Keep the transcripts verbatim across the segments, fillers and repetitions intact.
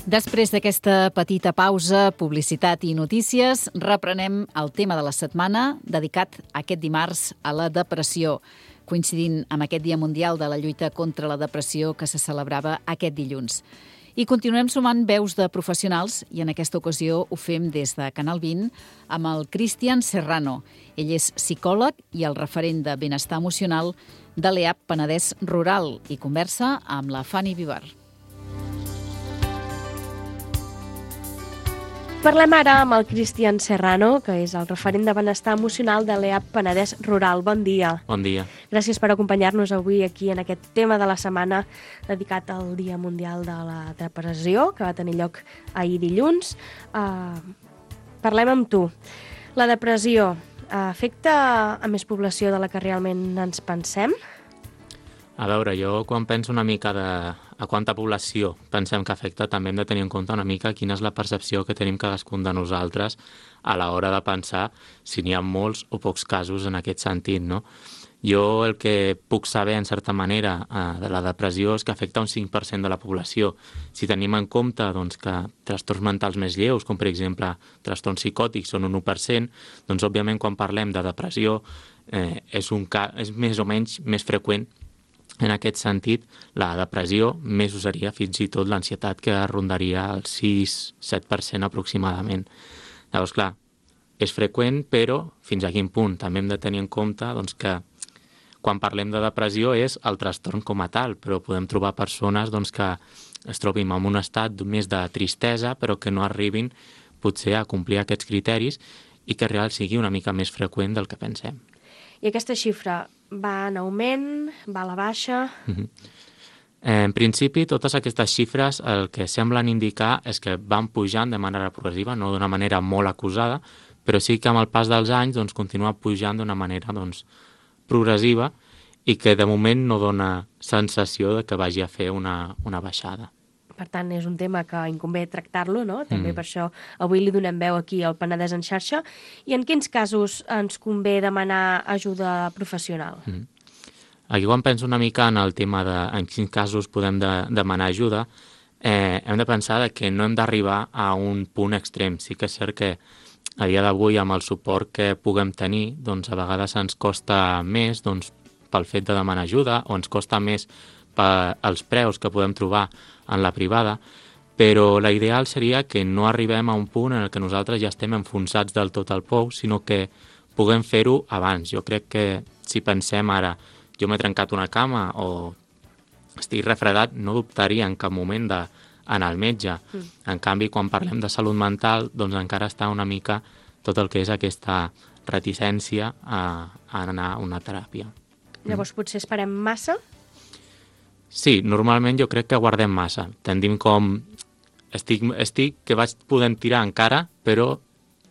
Després d'aquesta petita pausa, publicitat i notícies, reprenem el tema de la setmana dedicat aquest dimarts a la depressió, coincidint amb aquest Dia Mundial de la Lluita contra la Depressió que se celebrava aquest dilluns. I continuem sumant veus de professionals i en aquesta ocasió ho fem des de Canal vint amb el Cristian Serrano. Ell és psicòleg i el referent de benestar emocional de l'E A P Penedès Rural i conversa amb la Fanny Vivar. Parlem ara amb el Cristian Serrano, que és el referent de benestar emocional de l'E A P Penedès Rural. Bon dia. Bon dia. Gràcies per acompanyar-nos avui aquí en aquest tema de la setmana dedicat al Dia Mundial de la Depressió, que va tenir lloc ahir dilluns. Uh, parlem amb tu. La depressió uh, afecta a més població de la que realment ens pensem? A veure, jo quan penso una mica de a quanta població pensem que afecta, també hem de tenir en compte una mica quina és la percepció que tenim cadascun de nosaltres a l'hora de pensar si n'hi ha molts o pocs casos en aquest sentit, no? Jo el que puc saber, en certa manera, de la depressió és que afecta un cinc per cent de la població. Si tenim en compte doncs, que trastorns mentals més lleus, com per exemple trastorns psicòtics, són un u per cent, doncs òbviament quan parlem de depressió eh, és, un ca... és més o menys més freqüent. En aquest sentit, la depressió més usaria fins i tot l'ansietat, que rondaria el sis set per cent aproximadament. Llavors, clar, és freqüent, però fins a quin punt? També hem de tenir en compte doncs, que quan parlem de depressió és el trastorn com a tal, però podem trobar persones doncs, que es trobin en un estat més de tristesa, però que no arribin potser a complir aquests criteris i que real sigui una mica més freqüent del que pensem. I aquesta xifra va en augment, va a la baixa? Mm-hmm. En principi, totes aquestes xifres el que semblen indicar és que van pujant de manera progressiva, no d'una manera molt acusada, però sí que amb el pas dels anys doncs, continua pujant d'una manera doncs, progressiva i que de moment no dona sensació de que vagi a fer una, una baixada. Per tant, és un tema que inconvé tractar-lo, no? També Mm. per això avui li donem veu aquí al Penedès en xarxa. I en quins casos ens convé demanar ajuda professional? Mm. Aquí quan penso una mica en el tema de en quins casos podem de, demanar ajuda, eh, hem de pensar que no hem d'arribar a un punt extrem. Sí que és cert que a dia d'avui, amb el suport que puguem tenir, doncs a vegades ens costa més doncs, pel fet de demanar ajuda o ens costa més pels preus que podem trobar en la privada, però la ideal seria que no arribem a un punt en el que nosaltres ja estem enfonsats del tot al pou, sinó que puguem fer-ho abans. Jo crec que si pensem ara, jo m'he trencat una cama o estic refredat, no dubtaria en cap moment d'anar al metge. Mm. En canvi, quan parlem de salut mental, doncs encara està una mica tot el que és aquesta reticència a, a anar a una teràpia. Llavors, potser esperem massa? Sí, normalment jo crec que guardem massa. Tendim com... Estic, estic que vaig podent tirar encara, però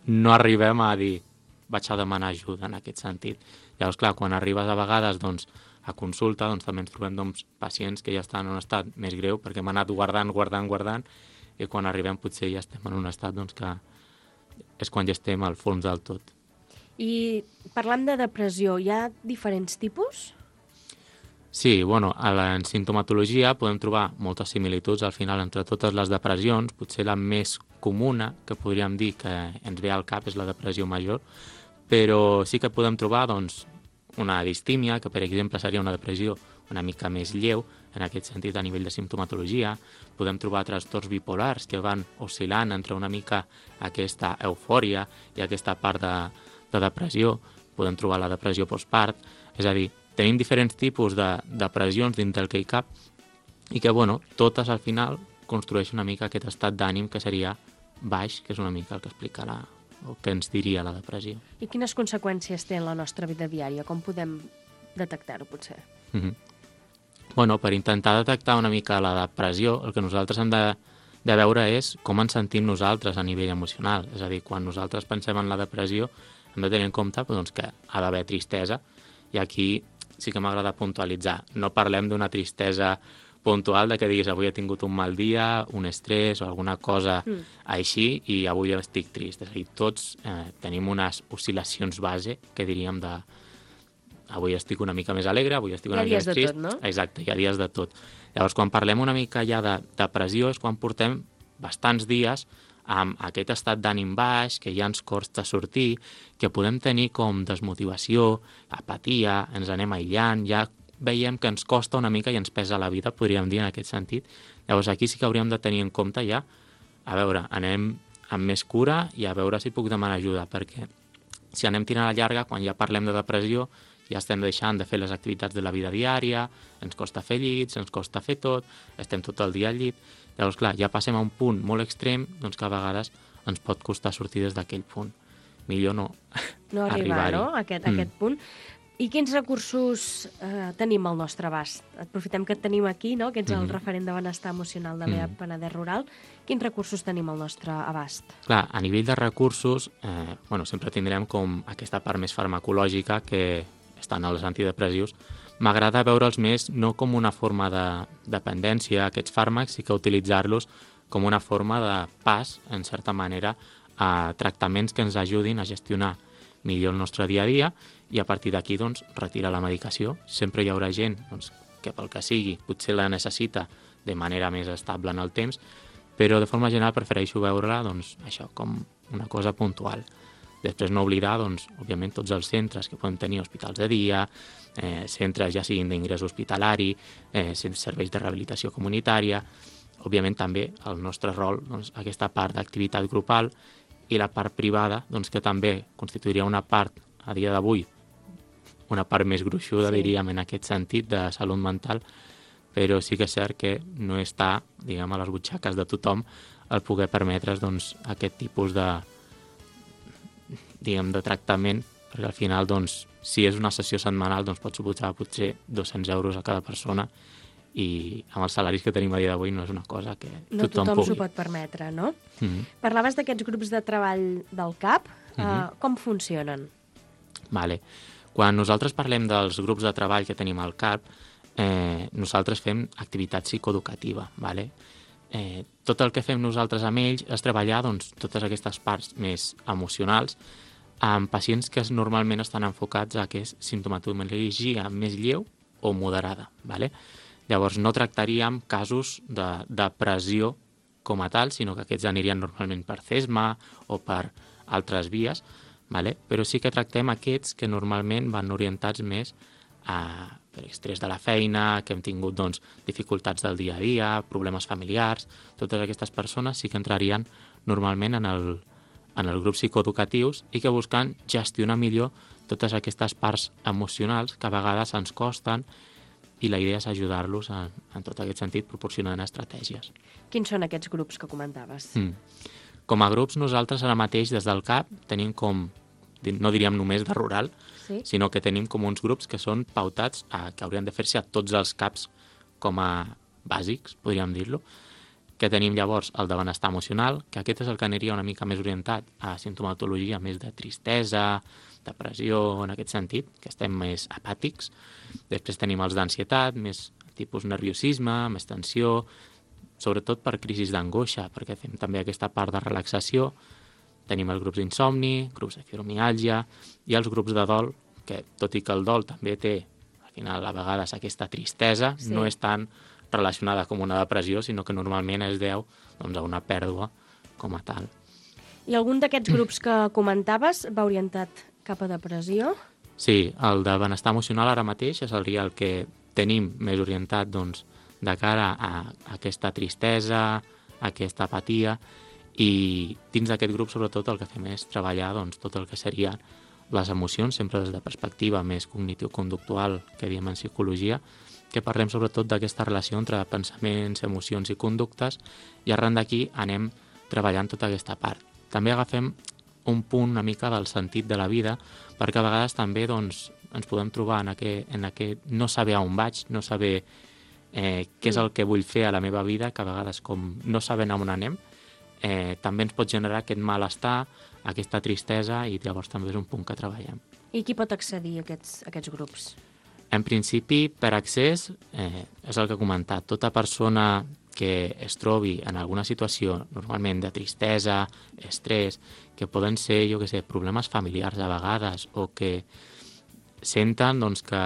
no arribem a dir vaig a demanar ajuda en aquest sentit. Llavors, clar, quan arribes a vegades doncs, a consulta, doncs, també ens trobem doncs, pacients que ja estan en un estat més greu perquè hem anat guardant, guardant, guardant, i quan arribem potser ja estem en un estat doncs, que és quan ja estem al fons del tot. I parlant de depressió, hi ha diferents tipus? Sí, bueno, a la sintomatologia podem trobar moltes similituds al final entre totes les depressions. Potser la més comuna que podríem dir que ens ve al cap és la depressió major, però sí que podem trobar doncs, una distímia, que per exemple seria una depressió una mica més lleu, en aquest sentit a nivell de simptomatologia. Podem trobar trastorns bipolars que van oscil·lant entre una mica aquesta eufòria i aquesta part de, de depressió. Podem trobar la depressió postpart, és a dir, tenim diferents tipus de depressions dins del que hi cap i que, bueno, totes al final construeixen una mica aquest estat d'ànim que seria baix, que és una mica el que explica la, o que ens diria la depressió. I quines conseqüències té en la nostra vida diària? Com podem detectar-ho, potser? Mm-hmm. Bueno, per intentar detectar una mica la depressió, el que nosaltres hem de, de veure és com ens sentim nosaltres a nivell emocional. És a dir, quan nosaltres pensem en la depressió, hem de tenir en compte doncs, que ha d'haver tristesa, i aquí sí que m'agrada puntualitzar. No parlem d'una tristesa puntual de que diguis avui he tingut un mal dia, un estrès o alguna cosa mm. així i avui estic trist. És a dir, tots eh, tenim unes oscil·lacions base que diríem de avui estic una mica més alegre, avui estic una mica més trist. Hi ha dies de tot, no? Exacte, hi ha dies de tot. Llavors, quan parlem una mica ja de depressió és quan portem bastants dies amb aquest estat d'ànim baix, que ja ens costa sortir, que podem tenir com desmotivació, apatia, ens anem aïllant, ja veiem que ens costa una mica i ens pesa la vida, podríem dir en aquest sentit. Llavors aquí sí que hauríem de tenir en compte ja, a veure, anem amb més cura i a veure si puc demanar ajuda, perquè si anem tirant a llarga, quan ja parlem de depressió, ja estem deixant de fer les activitats de la vida diària, ens costa fer llits, ens costa fer tot, estem tot el dia al llit. Llavors, clar, ja passem a un punt molt extrem, doncs que a vegades ens pot costar sortir des d'aquell punt. Millor no, no arribar, no? A aquest, mm. aquest punt. I quins recursos eh, tenim al nostre abast? Aprofitem que et tenim aquí, no? Que ets el mm. referent de benestar emocional de l'E A P mm. Penedès Rural. Quins recursos tenim al nostre abast? Clar, a nivell de recursos, eh, bueno, sempre tindrem com aquesta part més farmacològica que estan als antidepressius. M'agrada veure'ls més no com una forma de dependència, aquests fàrmacs, i que utilitzar-los com una forma de pas, en certa manera, a tractaments que ens ajudin a gestionar millor el nostre dia a dia i a partir d'aquí doncs, retirar la medicació. Sempre hi haurà gent doncs, que pel que sigui potser la necessita de manera més estable en el temps, però de forma general prefereixo veure-la doncs, això com una cosa puntual. Després no oblidar, doncs, òbviament, tots els centres que podem tenir, hospitals de dia, eh, centres ja siguin d'ingrés hospitalari, eh, serveis de rehabilitació comunitària, òbviament també el nostre rol, doncs, aquesta part d'activitat grupal i la part privada, doncs, que també constituiria una part, a dia d'avui, una part més gruixuda, sí. diríem, en aquest sentit, de salut mental, però sí que és cert que no està, diguem, a les butxaques de tothom el poder permetre's doncs, aquest tipus de diguem, de tractament, perquè al final, doncs, si és una sessió setmanal, doncs pot suposar potser dos-cents euros a cada persona i amb els salaris que tenim a dia d'avui no és una cosa que no tothom, tothom pugui. s'ho pot permetre, no? Mm-hmm. Parlaves d'aquests grups de treball del C A P. Mm-hmm. uh, com funcionen? Vale. Quan nosaltres parlem dels grups de treball que tenim al C A P, eh, nosaltres fem activitat psicoeducativa, vale? Eh, tot el que fem nosaltres amb ells és treballar doncs, totes aquestes parts més emocionals amb pacients que normalment estan enfocats a que és simptomatologia més lleu o moderada. Vale? Llavors no tractaríem casos de depressió com a tal, sinó que aquests anirien normalment per C E S M A o per altres vies, vale? Però sí que tractem aquests que normalment van orientats més a per estrès de la feina, que hem tingut doncs, dificultats del dia a dia, problemes familiars. Totes aquestes persones sí que entrarien normalment en el, en els grups psicoeducatius i que busquen gestionar millor totes aquestes parts emocionals que a vegades ens costen i la idea és ajudar-los en, en tot aquest sentit proporcionant estratègies. Quins són aquests grups que comentaves? Mm. Com a grups nosaltres ara mateix des del C A P tenim com, no diríem només de rural, sí? sinó que tenim com uns grups que són pautats a, que haurien de fer-se a tots els C A Ps com a bàsics, podríem dir-lo, que tenim llavors el de benestar emocional, que aquest és el que aniria una mica més orientat a simptomatologia més de tristesa, depressió, en aquest sentit, que estem més apàtics. Després tenim els d'ansietat, més tipus nerviosisme, més tensió, sobretot per crisis d'angoixa, perquè fem també aquesta part de relaxació. Tenim els grups d'insomni, grups de fibromiàlgia i els grups de dol, que tot i que el dol també té, al final, a vegades aquesta tristesa, sí. no és tan relacionada com una depressió, sinó que normalment es deu doncs, a una pèrdua com a tal. I algun d'aquests grups que comentaves va orientat cap a depressió? Sí, el de benestar emocional ara mateix seria el que tenim més orientat doncs, de cara a aquesta tristesa, a aquesta apatia, i dins d'aquest grup sobretot el que fem és treballar doncs, tot el que serien les emocions, sempre des de perspectiva més cognitiu-conductual que diem en psicologia, que parlem sobretot d'aquesta relació entre pensaments, emocions i conductes, i arran d'aquí anem treballant tota aquesta part. També agafem un punt una mica del sentit de la vida, perquè a vegades també doncs, ens podem trobar en aquest, en aquest no saber on vaig, no saber eh, què és el que vull fer a la meva vida, que a vegades com no sabem on anem, eh, també ens pot generar aquest malestar, aquesta tristesa, i llavors també és un punt que treballem. I qui pot accedir a aquests, a aquests grups? En principi, per accés, eh, és el que he comentat. Tota persona que es trobi en alguna situació, normalment de tristesa, estrès, que poden ser, jo què sé, problemes familiars a vegades, o que senten doncs, que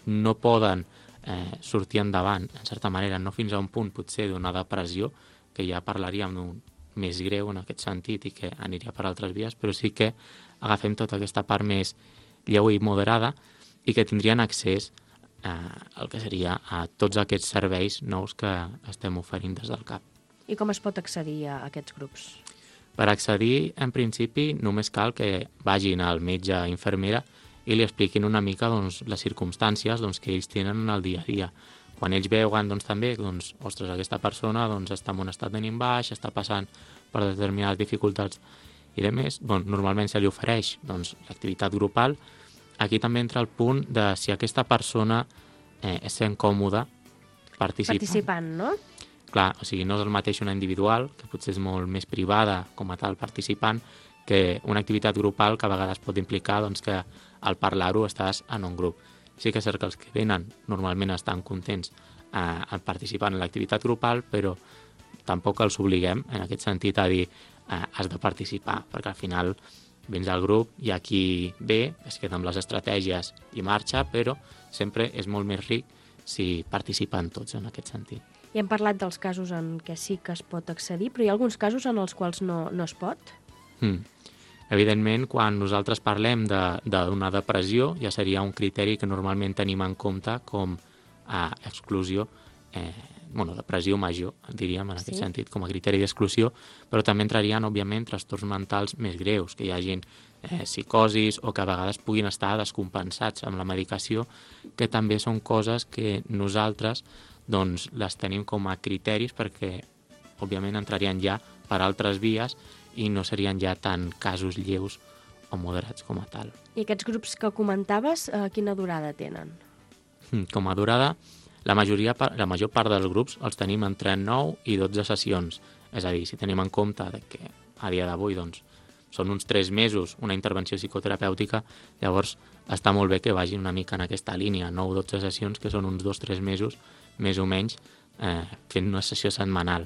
no poden eh, sortir endavant, en certa manera, no fins a un punt potser d'una depressió, que ja parlaríem d'un més greu en aquest sentit i que aniria per altres vies, però sí que agafem tota aquesta part més lleu i moderada i que tindrien accés eh, al que seria a tots aquests serveis nous que estem oferint des del C A P. I com es pot accedir a aquests grups? Per accedir, en principi, només cal que vagin al metge o infermera i li expliquin una mica doncs, les circumstàncies doncs, que ells tenen en el dia a dia. Quan ells veuen doncs, també, doncs, ostres, aquesta persona doncs, està en un estat d'ànim baix, està passant per determinades dificultats i de més, doncs, normalment se li ofereix doncs, l'activitat grupal. Aquí també entra el punt de si aquesta persona eh, es sent còmoda participant. Participant, no? Clar, o sigui, no és el mateix una individual, que potser és molt més privada com a tal participant, que una activitat grupal que a vegades pot implicar doncs, que al parlar-ho estàs en un grup. Sí que és cert que els que venen normalment estan contents eh, en participar en l'activitat grupal, però tampoc els obliguem en aquest sentit a dir eh, has de participar, perquè al final vens al grup i aquí ve, es queda amb les estratègies i marxa, però sempre és molt més ric si participen tots en aquest sentit. I hem parlat dels casos en què sí que es pot accedir, però hi ha alguns casos en els quals no, no es pot? Mm. Evidentment, quan nosaltres parlem d'una de, depressió, ja seria un criteri que normalment tenim en compte com a exclusió, eh, bueno, depressió major, diríem, en aquest sí. sentit, com a criteri d'exclusió, però també entrarien, òbviament, trastorns mentals més greus, que hi hagin eh, psicosis o que a vegades puguin estar descompensats amb la medicació, que també són coses que nosaltres doncs, les tenim com a criteris perquè, òbviament, entrarien ja per altres vies i no serien ja tan casos lleus o moderats com a tal. I aquests grups que comentaves, eh, quina durada tenen? Com a durada, la, majoria, la major part dels grups els tenim entre nou i dotze sessions. És a dir, si tenim en compte que a dia d'avui doncs, són uns tres mesos una intervenció psicoterapèutica, llavors està molt bé que vagin una mica en aquesta línia, nou o dotze sessions, que són uns dos o tres mesos, més o menys, eh, fent una sessió setmanal.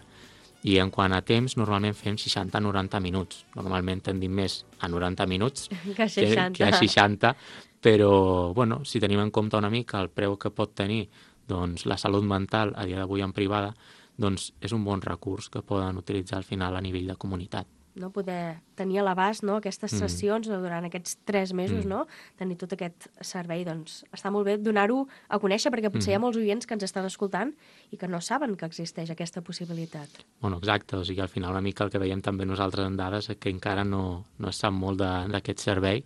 I en quant a temps, normalment fem seixanta a noranta minuts. Normalment tendim més a noranta minuts que a seixanta, que, que a seixanta, però bueno, si tenim en compte una mica el preu que pot tenir doncs, la salut mental a dia d'avui en privada, doncs és un bon recurs que poden utilitzar al final a nivell de comunitat. No? Poder tenir a l'abast, no? Aquestes sessions mm. durant aquests tres mesos, mm. no? Tenir tot aquest servei, doncs està molt bé donar-ho a conèixer, perquè potser mm. hi ha molts oients que ens estan escoltant i que no saben que existeix aquesta possibilitat. Bueno, exacte, o sigui, al final una mica el que veiem també nosaltres en dades és que encara no, no es sap molt d'aquest servei.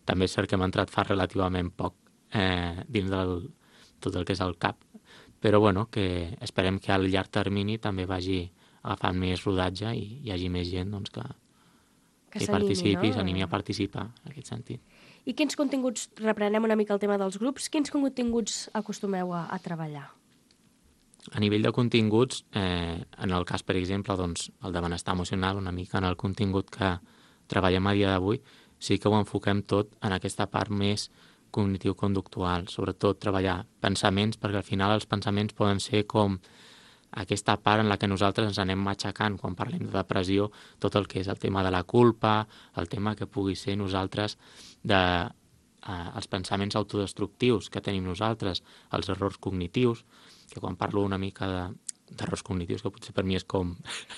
També és cert que hem entrat fa relativament poc eh, dins del tot el que és el C A P, però bueno, que esperem que al llarg termini també vagi agafant més rodatge i hi hagi més gent doncs, que, que, que participi, no? S'animi a participar en aquest sentit. I quins continguts, reprenem una mica el tema dels grups, quins continguts acostumeu a, a treballar? A nivell de continguts, eh, en el cas, per exemple, doncs, el de benestar emocional, una mica en el contingut que treballem a dia d'avui, sí que ho enfoquem tot en aquesta part més cognitiu-conductual, sobretot treballar pensaments, perquè al final els pensaments poden ser com aquesta part en la que nosaltres ens anem matxacant quan parlem de depressió, tot el que és el tema de la culpa, el tema que pugui ser nosaltres de eh, els pensaments autodestructius que tenim nosaltres, els errors cognitius, que quan parlo una mica de d'errors cognitius, que potser per mi és com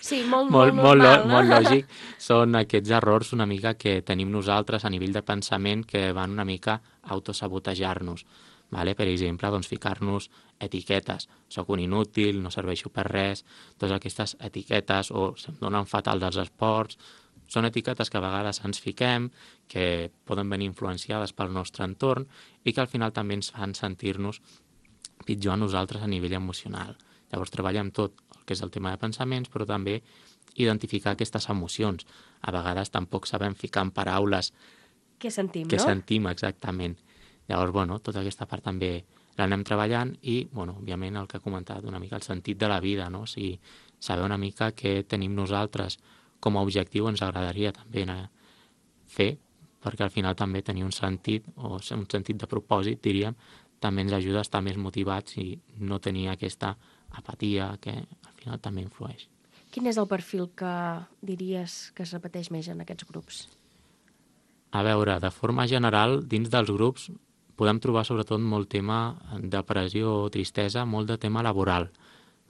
sí, molt, molt, molt, normal, molt, no? molt lògic, són aquests errors una mica que tenim nosaltres a nivell de pensament que van una mica a autosabotejar-nos. Vale? Per exemple, doncs, ficar-nos etiquetes. Soc un inútil, no serveixo per res, totes aquestes etiquetes, o se'm donen fatal dels esports, són etiquetes que a vegades ens fiquem, que poden venir influenciades pel nostre entorn i que al final també ens fan sentir-nos pitjor a nosaltres a nivell emocional. Llavors treballem tot el que és el tema de pensaments, però també identificar aquestes emocions. A vegades tampoc sabem ficar en paraules què sentim, què no? sentim exactament. Llavors, bueno, tota aquesta part també l'anem treballant i, bueno, òbviament el que he comentat, una mica el sentit de la vida, no? O sigui, saber una mica què tenim nosaltres com a objectiu ens agradaria també fer, perquè al final també tenir un sentit, o un sentit de propòsit, diríem, també ens ajuda a estar més motivats i no tenir aquesta apatia que al final també influeix. Quin és el perfil que diries que es repeteix més en aquests grups? A veure, de forma general, dins dels grups podem trobar sobretot molt tema de depressió o tristesa, molt de tema laboral.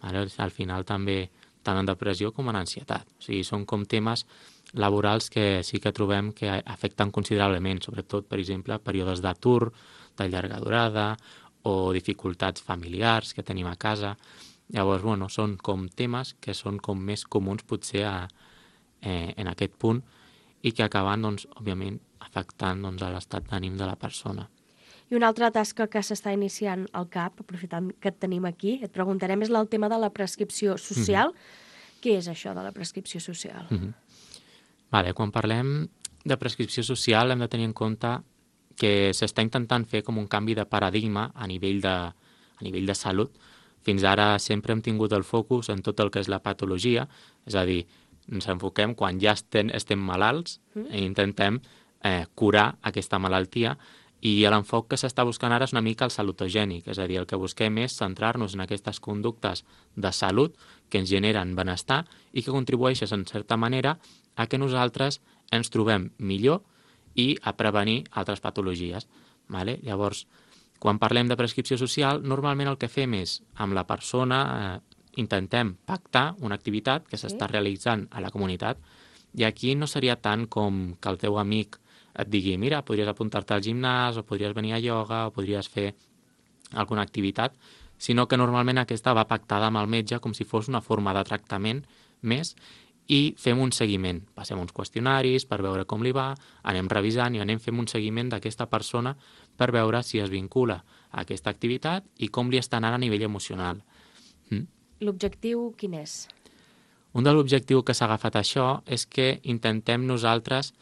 Al final també tant en depressió com en ansietat. O sigui, són com temes laborals que sí que trobem que afecten considerablement, sobretot, per exemple, períodes d'atur, de llarga durada o dificultats familiars que tenim a casa. Llavors, bueno, són com temes que són com més comuns potser a, eh, en aquest punt i que acaben, doncs, òbviament, afectant doncs, a l'estat d'ànim de la persona. I una altra tasca que s'està iniciant al C A P, aprofitant que et tenim aquí, et preguntarem, és el tema de la prescripció social. Mm-hmm. Què és això de la prescripció social? Mm-hmm. Vale, quan parlem de prescripció social hem de tenir en compte que s'està intentant fer com un canvi de paradigma a nivell de, a nivell de salut. Fins ara sempre hem tingut el focus en tot el que és la patologia, és a dir, ens enfoquem quan ja estem, estem malalts mm. i intentem eh, curar aquesta malaltia, i l'enfoc que s'està buscant ara és una mica el salutogènic, és a dir, el que busquem és centrar-nos en aquestes conductes de salut que ens generen benestar i que contribueixen, en certa manera, a que nosaltres ens trobem millor i a prevenir altres patologies. Vale? Llavors, quan parlem de prescripció social, normalment el que fem és, amb la persona, eh, intentem pactar una activitat que s'està sí. realitzant a la comunitat, i aquí no seria tant com que el teu amic et digui, mira, podries apuntar-te al gimnàs, o podries venir a ioga, o podries fer alguna activitat, sinó que normalment aquesta va pactada amb el metge com si fos una forma de tractament més, i fem un seguiment. Passem uns qüestionaris per veure com li va, anem revisant i anem fent un seguiment d'aquesta persona per veure si es vincula a aquesta activitat i com li està anant a nivell emocional. Mm? L'objectiu quin és? Un de l'objectiu que s'ha agafat això és que intentem nosaltres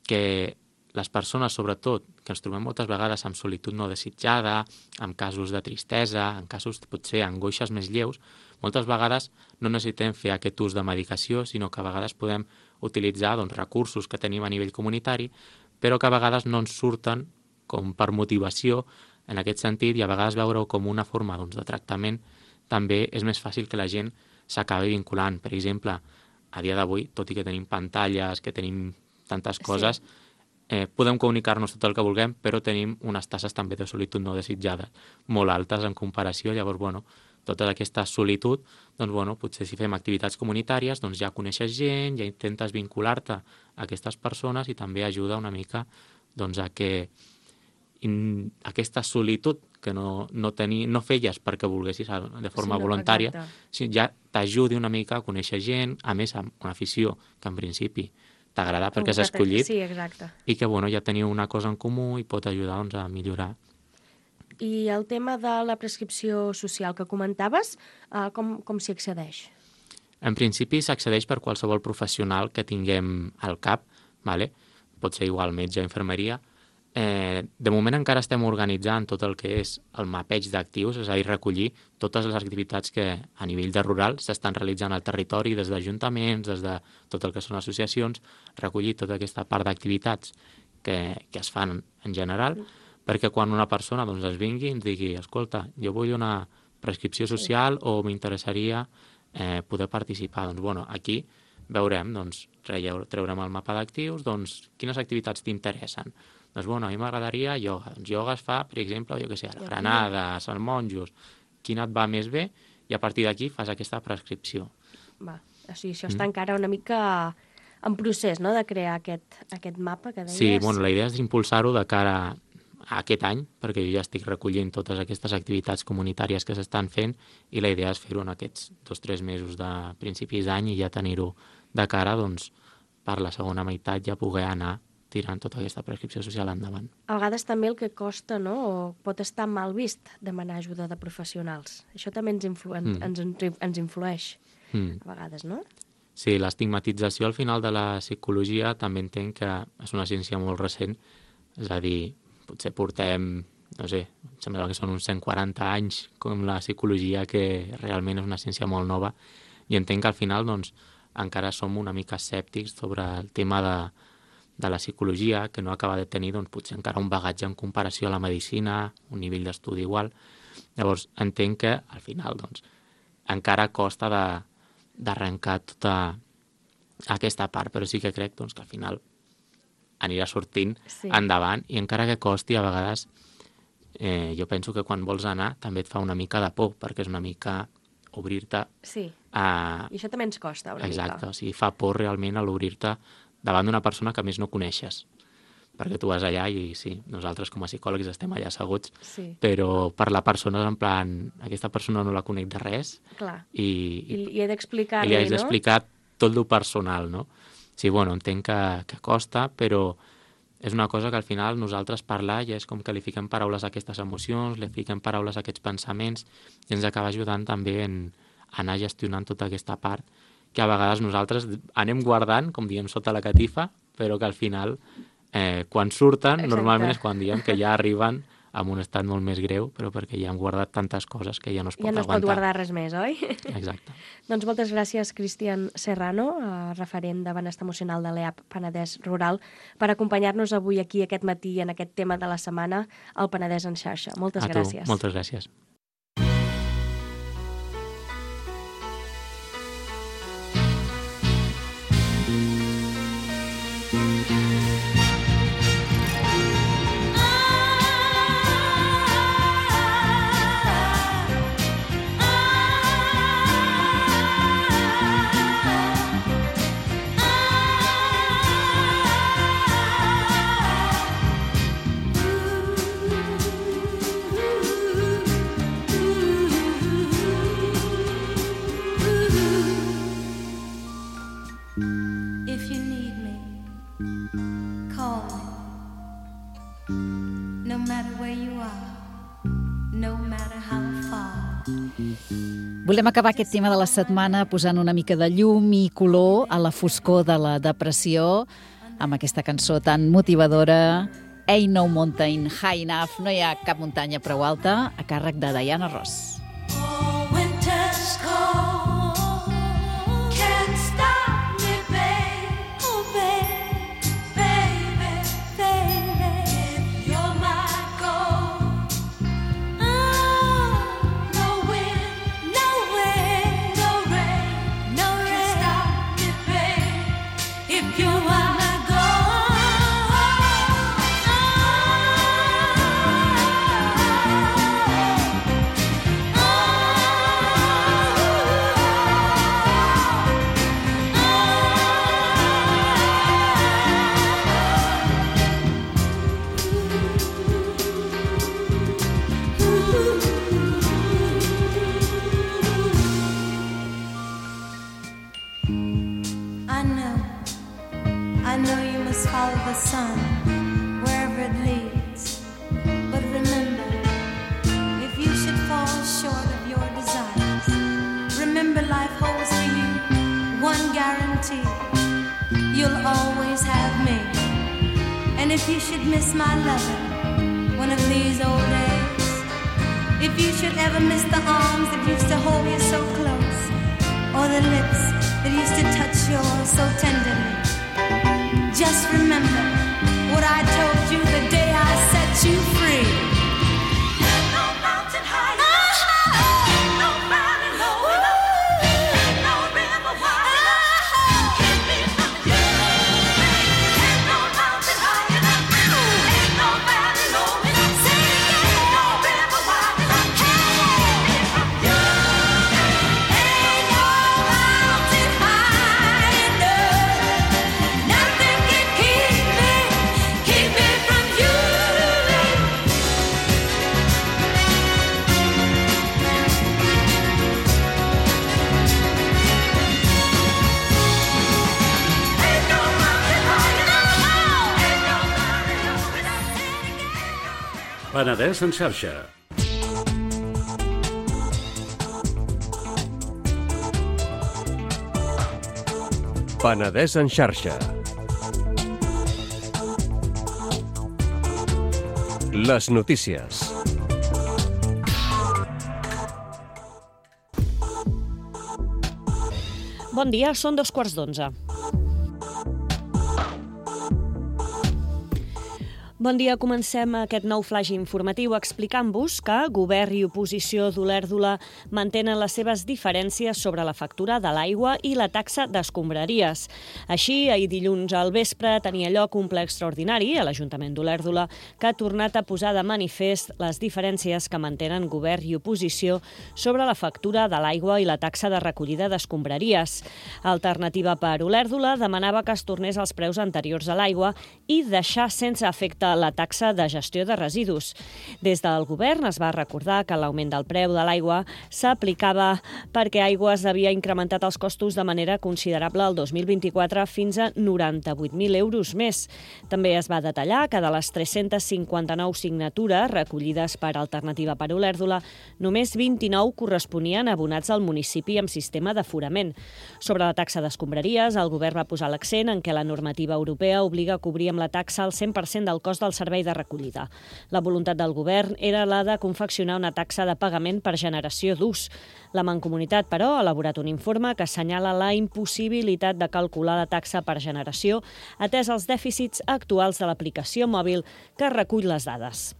que les persones, sobretot, que ens trobem moltes vegades amb solitud no desitjada, amb casos de tristesa, en casos potser angoixes més lleus, moltes vegades no necessitem fer aquest ús de medicació, sinó que a vegades podem utilitzar doncs, recursos que tenim a nivell comunitari, però que a vegades no ens surten com per motivació en aquest sentit, i a vegades veure-ho com una forma doncs, de tractament també és més fàcil que la gent s'acabi vinculant. Per exemple, a dia d'avui, tot i que tenim pantalles, que tenim tantes coses, sí. eh, podem comunicar-nos tot el que vulguem, però tenim unes tasses també de solitud no desitjada molt altes en comparació. Llavors, bueno, tota aquesta solitud, doncs, bueno, potser si fem activitats comunitàries, doncs ja coneixes gent, ja intentes vincular-te a aquestes persones i també ajuda una mica doncs, a que in, aquesta solitud que no, no, teni, no feies perquè volguessis de forma sí, no, voluntària, si ja t'ajudi una mica a conèixer gent, a més amb una afició que en principi t'agrada perquè has escollit, sí, exacte. I que bueno, ja teniu una cosa en comú i pot ajudar doncs, a millorar. I el tema de la prescripció social que comentaves, eh, com, com s'hi accedeix? En principi s'accedeix per qualsevol professional que tinguem al cap, vale? Pot ser igual metge o infermeria. Eh, de moment encara estem organitzant tot el que és el mapeig d'actius, és a dir, recollir totes les activitats que a nivell de rural s'estan realitzant al territori, des d'ajuntaments, des de tot el que són associacions, recollir tota aquesta part d'activitats que, que es fan en general, mm. perquè quan una persona doncs, es vingui i ens digui, escolta, jo vull una prescripció social sí. o m'interessaria eh, poder participar. Doncs, bueno, aquí veurem, doncs, treurem el mapa d'actius, doncs, quines activitats t'interessen. Doncs, bueno, a mi m'agradaria ioga. Doncs ioga es fa, per exemple, jo què sé, a la Granada, a Sant Monjos, quina et va més bé, i a partir d'aquí fas aquesta prescripció. Va, o sigui, això mm. està encara una mica en procés, no?, de crear aquest, aquest mapa que deies. Sí, bueno, la idea és impulsar-ho de cara a aquest any, perquè jo ja estic recollint totes aquestes activitats comunitàries que s'estan fent, i la idea és fer-ho en aquests dos o tres mesos de principis d'any i ja tenir-ho de cara, doncs, per la segona meitat ja poder anar tirant tota aquesta prescripció social endavant. A vegades també el que costa, no?, o pot estar mal vist demanar ajuda de professionals. Això també ens, influ mm. ens, ens influeix, mm. a vegades, no? Sí, l'estigmatització al final de la psicologia també entenc que és una ciència molt recent, és a dir, potser portem, no sé, em sembla que són uns cent quaranta anys com la psicologia, que realment és una ciència molt nova, i entenc que al final, doncs, encara som una mica escèptics sobre el tema de de la psicologia, que no acaba de tenir doncs, potser encara un bagatge en comparació a la medicina, un nivell d'estudi igual. Llavors, entenc que al final doncs, encara costa d'arrencar tota aquesta part, però sí que crec doncs, que al final anirà sortint sí. endavant, i encara que costi, a vegades eh, jo penso que quan vols anar també et fa una mica de por, perquè és una mica obrir-te... Sí, a... i això també ens costa una Exacte, mica. o sigui, fa por realment a l'obrir-te davant d'una persona que a més no coneixes. Perquè tu vas allà i sí, nosaltres com a psicòlegs estem allà asseguts, Sí. però per la persona és en plan, aquesta persona no la conec de res Clar. i, I, i he i d'explicar-li, li haig no? d'explicar tot el personal, no? Sí, bueno, entenc que, que costa, però és una cosa que al final nosaltres parlar ja és com que li fiquem paraules a aquestes emocions, li fiquem paraules a aquests pensaments i ens acaba ajudant també en anar gestionant tota aquesta part que a vegades nosaltres anem guardant, com diem, sota la catifa, però que al final, eh, quan surten, Exacte. normalment és quan diem que ja arriben en un estat molt més greu, però perquè ja han guardat tantes coses que ja no es pot Ja no es aguantar. pot guardar res més, oi? Exacte. Doncs moltes gràcies, Cristian Serrano, eh, referent de benestar emocional de l'E A P Penedès Rural, per acompanyar-nos avui aquí aquest matí en aquest tema de la setmana, al Penedès en xarxa. Moltes A tu, gràcies. moltes gràcies. If you need me, call me. No matter where you are, no matter how far. Volem acabar aquest tema de la setmana posant una mica de llum i color a la foscor de la depressió amb aquesta cançó tan motivadora, Ain't No Mountain High Enough, no hi ha cap muntanya prou alta, a càrrec de Diana Ross. Oh, winter's cold, can't stop me, babe. Oh, babe, baby, baby, if you're my goal. Oh, no wind, no wind, no rain, no rain, can't stop me, babe, if you're my follow the sun wherever it leads. But remember, if you should fall short of your desires, remember life holds for you one guarantee: you'll always have me. And if you should miss my loving one of these old days, if you should ever miss the arms that used to hold you so close, or the lips that used to touch yours so tenderly, just remember what I told you the day I set you free. Ain't no mountain high enough, ain't no valley low enough, ain't no river wide enough, keep me from you. Ain't no mountain high enough, ain't no valley low enough, ain't no river wide enough, keep me from you. Ain't no mountain high enough, nothing can keep me, keep me from you. Ain't no mountain high enough, ain't no valley low enough. Penedès en xarxa. Penedès en xarxa. Les notícies. Bon dia, són dos quarts d'onze. Bon dia, comencem aquest nou flash informatiu explicant-vos que govern i oposició d'Olèrdola mantenen les seves diferències sobre la factura de l'aigua i la taxa d'escombraries. Així, ahir dilluns al vespre tenia lloc un ple extraordinari a l'Ajuntament d'Olèrdola que ha tornat a posar de manifest les diferències que mantenen govern i oposició sobre la factura de l'aigua i la taxa de recollida d'escombraries. Alternativa per Olèrdola demanava que es tornés als preus anteriors a l'aigua i deixar sense efecte la taxa de gestió de residus. Des del govern es va recordar que l'augment del preu de l'aigua s'aplicava perquè Aigües havia incrementat els costos de manera considerable el dos mil vint-i-quatre fins a noranta-vuit mil euros més. També es va detallar que de les tres-centes cinquanta-nou signatures recollides per Alternativa per Olèrdola, només vint-i-nou corresponien a abonats al municipi amb sistema d'aforament. Sobre la taxa d'escombraries, el govern va posar l'accent en què la normativa europea obliga a cobrir amb la taxa el cent per cent del cost del servei de recollida. La voluntat del govern era la de confeccionar una taxa de pagament per generació d'ús. La Mancomunitat, però, ha elaborat un informe que assenyala la impossibilitat de calcular la taxa per generació atès els dèficits actuals de l'aplicació mòbil que recull les dades.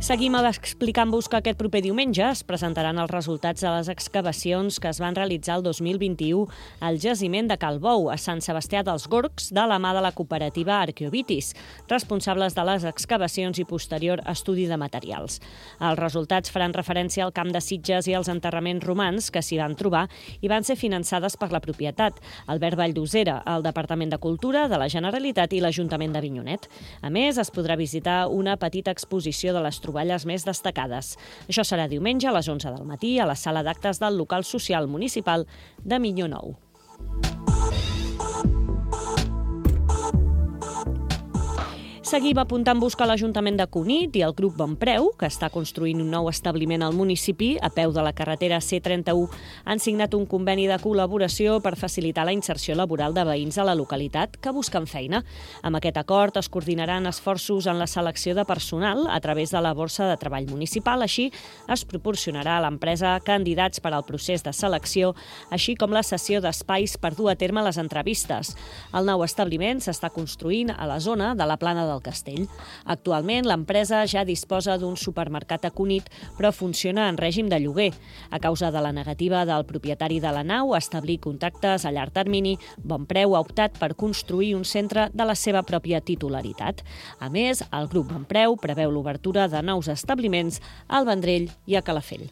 Seguim explicant-vos que aquest proper diumenge es presentaran els resultats de les excavacions que es van realitzar el dos mil vint-i-u al jaciment de Calbou, a Sant Sebastià dels Gorgs, de la mà de la cooperativa Arqueovitis, responsables de les excavacions i posterior estudi de materials. Els resultats faran referència al camp de Sitges i als enterraments romans que s'hi van trobar i van ser finançades per la propietat, Albert Valldosera, el Departament de Cultura de la Generalitat i l'Ajuntament d'Avinyonet. A més, es podrà visitar una petita exposició de les troballes més destacades. Això serà diumenge a les onze del matí a la sala d'actes del local social municipal de Minyó Nou. Seguim apuntant-vos que l'Ajuntament de Cunit i el grup Bonpreu, que està construint un nou establiment al municipi a peu de la carretera C trenta-u, han signat un conveni de col·laboració per facilitar la inserció laboral de veïns a la localitat que busquen feina. Amb aquest acord es coordinaran esforços en la selecció de personal a través de la borsa de treball municipal. Així, es proporcionarà a l'empresa candidats per al procés de selecció, així com la cessió d'espais per dur a terme les entrevistes. El nou establiment s'està construint a la zona de la Plana del Castell. Actualment, l'empresa ja disposa d'un supermercat a Cunit, però funciona en règim de lloguer. A causa de la negativa del propietari de la nau a establir contactes a llarg termini, Bonpreu ha optat per construir un centre de la seva pròpia titularitat. A més, el grup Bonpreu preveu l'obertura de nous establiments al Vendrell i a Calafell.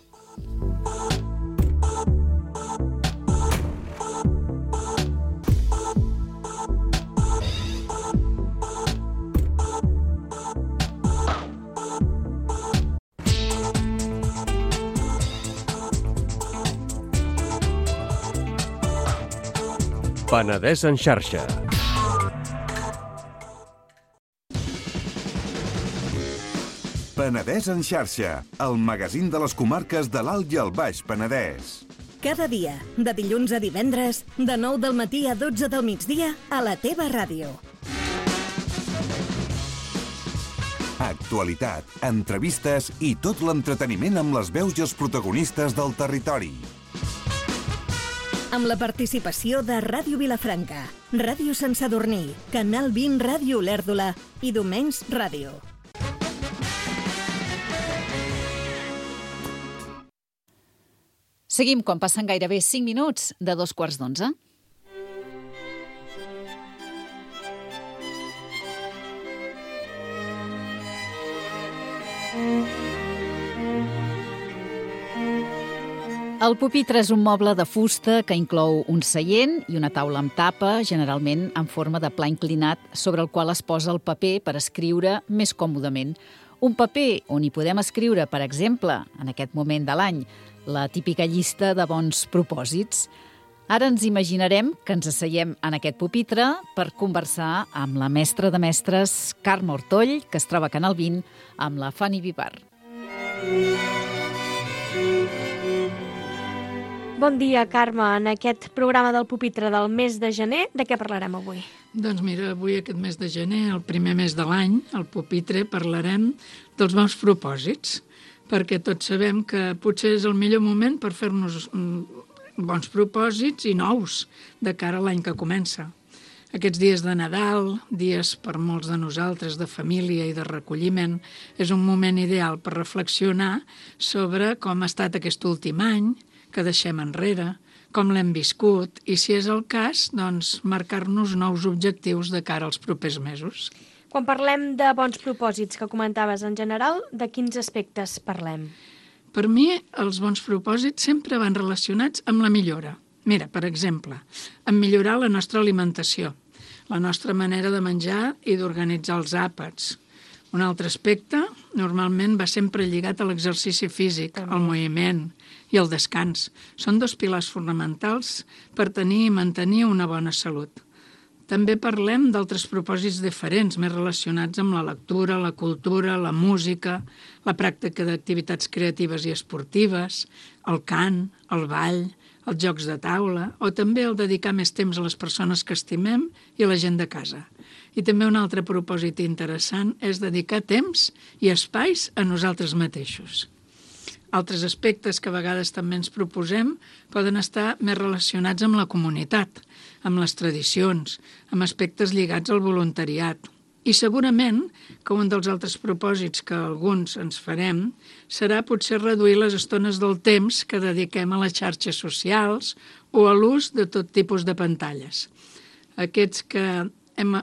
Penedès en xarxa. Penedès en xarxa, el magazín de les comarques de l'Alt i el Baix Penedès. Cada dia, de dilluns a divendres, de nou del matí a dotze del migdia, a la teva ràdio. Actualitat, entrevistes i tot l'entreteniment amb les veus i els protagonistes del territori. Amb la participació de Ràdio Vilafranca, Ràdio Sant Sadurní, Canal vint Ràdio Olèrdola i Domenys Ràdio. Seguim quan passen gairebé cinc minuts de dos quarts d'onze. El pupitre és un moble de fusta que inclou un seient i una taula amb tapa, generalment en forma de pla inclinat, sobre el qual es posa el paper per escriure més còmodament. Un paper on hi podem escriure, per exemple, en aquest moment de l'any, la típica llista de bons propòsits. Ara ens imaginarem que ens asseiem en aquest pupitre per conversar amb la mestra de mestres, Carme Ortoll, que es troba a Canal vint, amb la Fanny Vivar. Bon dia, Carme. En aquest programa del pupitre del mes de gener, de què parlarem avui? Doncs mira, avui aquest mes de gener, el primer mes de l'any, al pupitre parlarem dels bons propòsits, perquè tots sabem que potser és el millor moment per fer-nos bons propòsits i nous de cara a l'any que comença. Aquests dies de Nadal, dies per molts de nosaltres de família i de recolliment, és un moment ideal per reflexionar sobre com ha estat aquest últim any, que deixem enrere, com l'hem viscut i, si és el cas, doncs, marcar-nos nous objectius de cara als propers mesos. Quan parlem de bons propòsits que comentaves en general, de quins aspectes parlem? Per mi, els bons propòsits sempre van relacionats amb la millora. Mira, per exemple, en millorar la nostra alimentació, la nostra manera de menjar i d'organitzar els àpats. Un altre aspecte, normalment, va sempre lligat a l'exercici físic, al moviment i al descans. Són dos pilars fonamentals per tenir i mantenir una bona salut. També parlem d'altres propòsits diferents, més relacionats amb la lectura, la cultura, la música, la pràctica d'activitats creatives i esportives, el cant, el ball, els jocs de taula, o també el dedicar més temps a les persones que estimem i a la gent de casa. I també un altre propòsit interessant és dedicar temps i espais a nosaltres mateixos. Altres aspectes que a vegades també ens proposem poden estar més relacionats amb la comunitat, amb les tradicions, amb aspectes lligats al voluntariat. I segurament que un dels altres propòsits que alguns ens farem serà potser reduir les estones del temps que dediquem a les xarxes socials o a l'ús de tot tipus de pantalles. Aquests que hem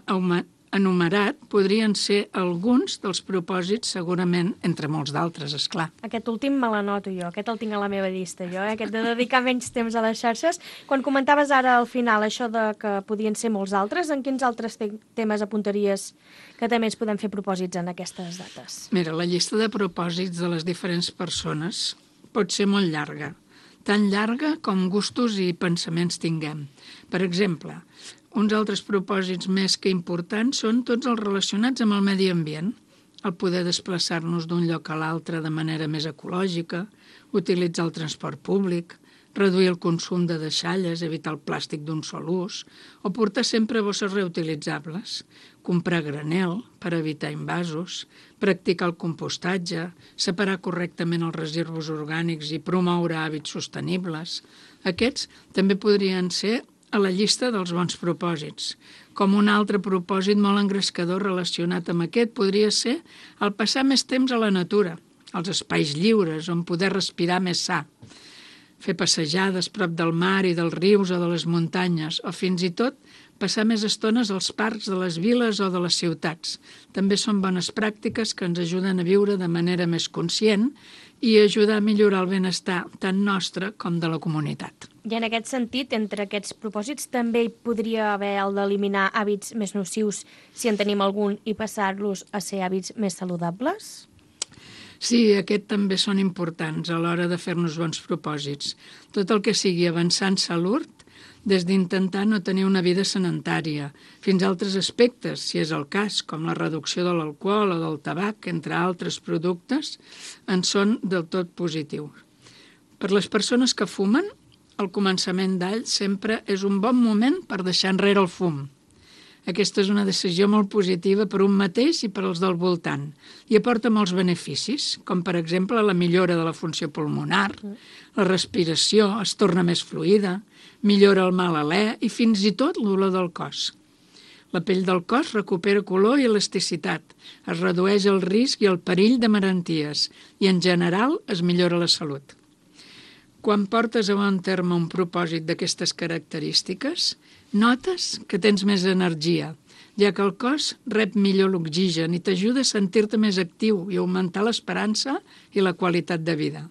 enumerat podrien ser alguns dels propòsits, segurament, entre molts d'altres, esclar. Aquest últim me l'anoto jo, aquest el tinc a la meva llista jo, eh? Aquest de dedicar menys temps a les xarxes. Quan comentaves ara al final això de que podien ser molts altres, en quins altres te temes apuntaries que també ens podem fer propòsits en aquestes dates? Mira, la llista de propòsits de les diferents persones pot ser molt llarga, tan llarga com gustos i pensaments tinguem. Per exemple, uns altres propòsits més que importants són tots els relacionats amb el medi ambient, el poder desplaçar-nos d'un lloc a l'altre de manera més ecològica, utilitzar el transport públic, reduir el consum de deixalles, evitar el plàstic d'un sol ús, o portar sempre bosses reutilitzables, comprar granel per evitar invasos, practicar el compostatge, separar correctament els residus orgànics i promoure hàbits sostenibles. Aquests també podrien ser a la llista dels bons propòsits. Com un altre propòsit molt engrescador relacionat amb aquest podria ser el passar més temps a la natura, als espais lliures on poder respirar més sa, fer passejades prop del mar i dels rius o de les muntanyes, o fins i tot passar més estones als parcs de les viles o de les ciutats. També són bones pràctiques que ens ajuden a viure de manera més conscient i ajudar a millorar el benestar tant nostre com de la comunitat. I en aquest sentit, entre aquests propòsits, també hi podria haver el d'eliminar hàbits més nocius, si en tenim algun, i passar-los a ser hàbits més saludables? Sí, aquests també són importants a l'hora de fer-nos bons propòsits. Tot el que sigui avançar en salut, des d'intentar no tenir una vida sedentària, fins a altres aspectes, si és el cas, com la reducció de l'alcohol o del tabac, entre altres productes, en són del tot positius. Per les persones que fumen, el començament d'any sempre és un bon moment per deixar enrere el fum. Aquesta és una decisió molt positiva per un mateix i per als del voltant i aporta molts beneficis, com per exemple la millora de la funció pulmonar, la respiració es torna més fluida, millora el mal alè i fins i tot l'olor del cos. La pell del cos recupera color i elasticitat, es redueix el risc i el perill de malalties i en general es millora la salut. Quan portes a bon terme un propòsit d'aquestes característiques, notes que tens més energia, ja que el cos rep millor l'oxigen i t'ajuda a sentir-te més actiu i augmentar l'esperança i la qualitat de vida.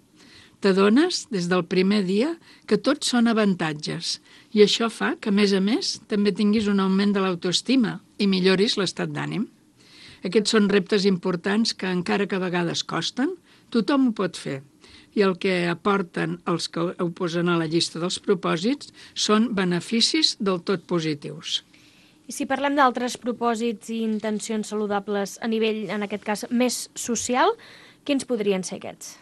T'adones des del primer dia que tots són avantatges i això fa que, a més a més, també tinguis un augment de l'autoestima i milloris l'estat d'ànim. Aquests són reptes importants que, encara que a vegades costen, tothom ho pot fer. I el que aporten els que ho posen a la llista dels propòsits són beneficis del tot positius. I si parlem d'altres propòsits i intencions saludables a nivell, en aquest cas, més social, quins podrien ser aquests?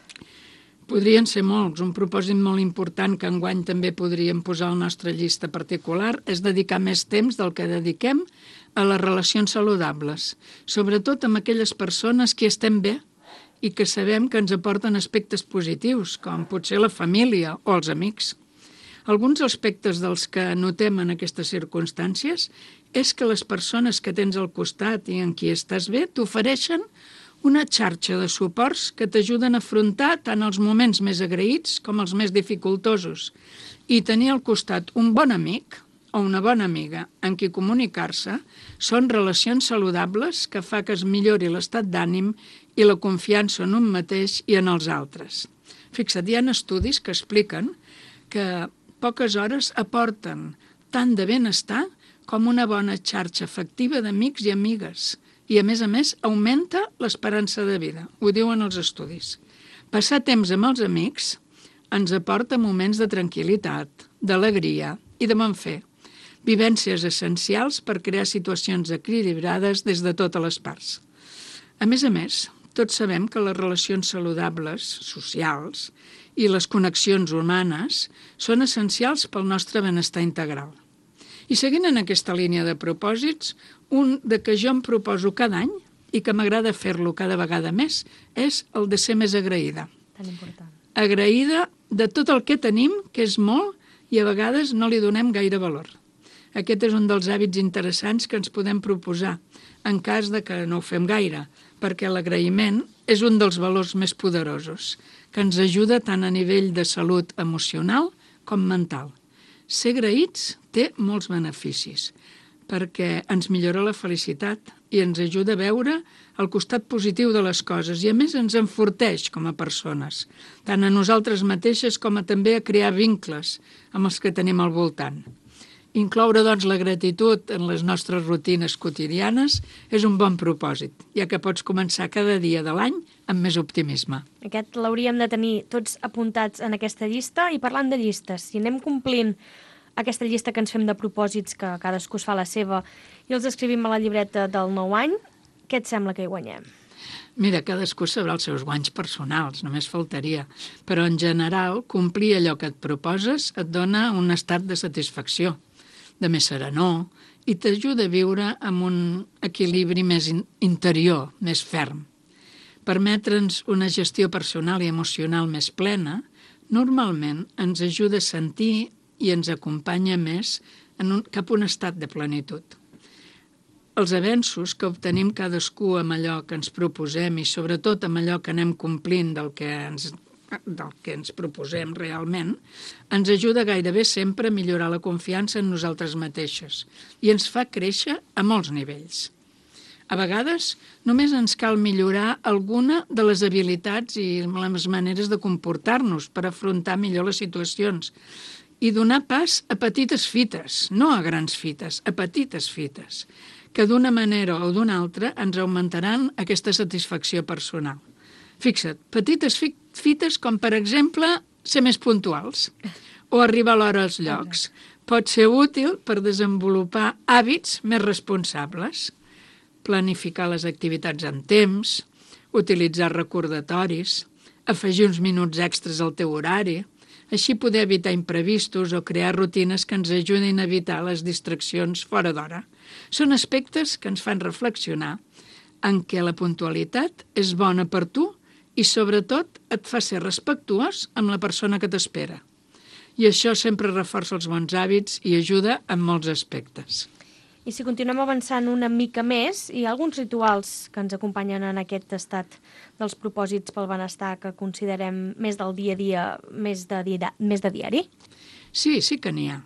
Podrien ser molts. Un propòsit molt important que enguany també podríem posar a la nostra llista particular és dedicar més temps del que dediquem a les relacions saludables, sobretot amb aquelles persones que estem bé i que sabem que ens aporten aspectes positius, com potser la família o els amics. Alguns aspectes dels que notem en aquestes circumstàncies és que les persones que tens al costat i en qui estàs bé t'ofereixen una xarxa de suports que t'ajuden a afrontar tant els moments més agraïts com els més dificultosos. I tenir al costat un bon amic o una bona amiga en qui comunicar-se són relacions saludables que fa que es millori l'estat d'ànim i la confiança en un mateix i en els altres. Fixa't, hi ha estudis que expliquen que poques hores aporten tant de benestar com una bona xarxa afectiva d'amics i amigues. I, a més a més, augmenta l'esperança de vida. Ho diuen els estudis. Passar temps amb els amics ens aporta moments de tranquil·litat, d'alegria i de bon fer. Vivències essencials per crear situacions equilibrades des de totes les parts. A més a més, tots sabem que les relacions saludables, socials, i les connexions humanes són essencials pel nostre benestar integral. I seguint en aquesta línia de propòsits, un de que jo em proposo cada any i que m'agrada fer-lo cada vegada més és el de ser més agraïda. Tan important. Agraïda de tot el que tenim, que és molt, i a vegades no li donem gaire valor. Aquest és un dels hàbits interessants que ens podem proposar, en cas de que no ho fem gaire, perquè l'agraïment és un dels valors més poderosos, que ens ajuda tant a nivell de salut emocional com mental. Ser agraïts té molts beneficis, perquè ens millora la felicitat i ens ajuda a veure el costat positiu de les coses i, a més, ens enforteix com a persones, tant a nosaltres mateixes com a també a crear vincles amb els que tenim al voltant. Incloure, doncs, la gratitud en les nostres rutines quotidianes és un bon propòsit, ja que pots començar cada dia de l'any amb més optimisme. Aquest l'hauríem de tenir tots apuntats en aquesta llista. I parlant de llistes, si anem complint aquesta llista que ens fem de propòsits, que cadascú es fa la seva, i els escrivim a la llibreta del nou any, què et sembla que hi guanyem? Mira, cadascú sabrà els seus guanys personals, només faltaria. Però, en general, complir allò que et proposes et dona un estat de satisfacció, de més serenor, i t'ajuda a viure amb un equilibri més interior, més ferm. Permetre'ns una gestió personal i emocional més plena, normalment ens ajuda a sentir i ens acompanya més en un, cap a un estat de plenitud. Els avenços que obtenim cadascú amb allò que ens proposem i sobretot amb allò que anem complint del que ens, del que ens proposem realment, ens ajuda gairebé sempre a millorar la confiança en nosaltres mateixes i ens fa créixer a molts nivells. A vegades només ens cal millorar alguna de les habilitats i les maneres de comportar-nos per afrontar millor les situacions i donar pas a petites fites, no a grans fites, a petites fites, que d'una manera o d'una altra ens augmentaran aquesta satisfacció personal. Fixa't, petites fites com, per exemple, ser més puntuals o arribar a l'hora als llocs. Pot ser útil per desenvolupar hàbits més responsables, planificar les activitats en temps, utilitzar recordatoris, afegir uns minuts extras al teu horari, així poder evitar imprevistos o crear rutines que ens ajudin a evitar les distraccions fora d'hora. Són aspectes que ens fan reflexionar en què la puntualitat és bona per tu i, sobretot, et fa ser respectuós amb la persona que t'espera. I això sempre reforça els bons hàbits i ajuda en molts aspectes. I si continuem avançant una mica més, hi ha alguns rituals que ens acompanyen en aquest estat dels propòsits pel benestar que considerem més del dia a dia, més de, dia, més de diari? Sí, sí que n'hi ha.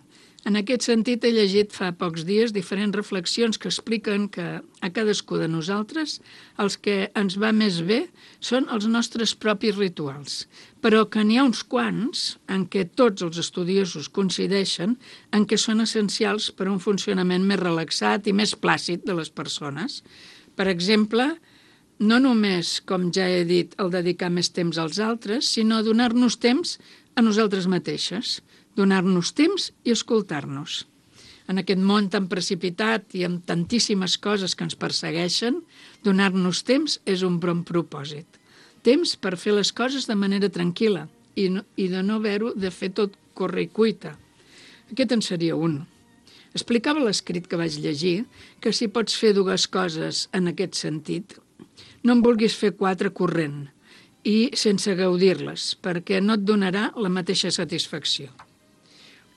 En aquest sentit, he llegit fa pocs dies diferents reflexions que expliquen que a cadascú de nosaltres els que ens va més bé són els nostres propis rituals, però que n'hi ha uns quants en què tots els estudiosos coincideixen en què són essencials per a un funcionament més relaxat i més plàcid de les persones. Per exemple, no només, com ja he dit, el dedicar més temps als altres, sinó donar-nos temps a nosaltres mateixes, donar-nos temps i escoltar-nos. En aquest món tan precipitat i amb tantíssimes coses que ens persegueixen, donar-nos temps és un bon propòsit. Temps per fer les coses de manera tranquil·la i, no, i de no haver-ho de fer tot corre i cuita. Aquest en seria un. Explicava l'escrit que vaig llegir que si pots fer dues coses en aquest sentit, no en vulguis fer quatre corrent i sense gaudir-les, perquè no et donarà la mateixa satisfacció.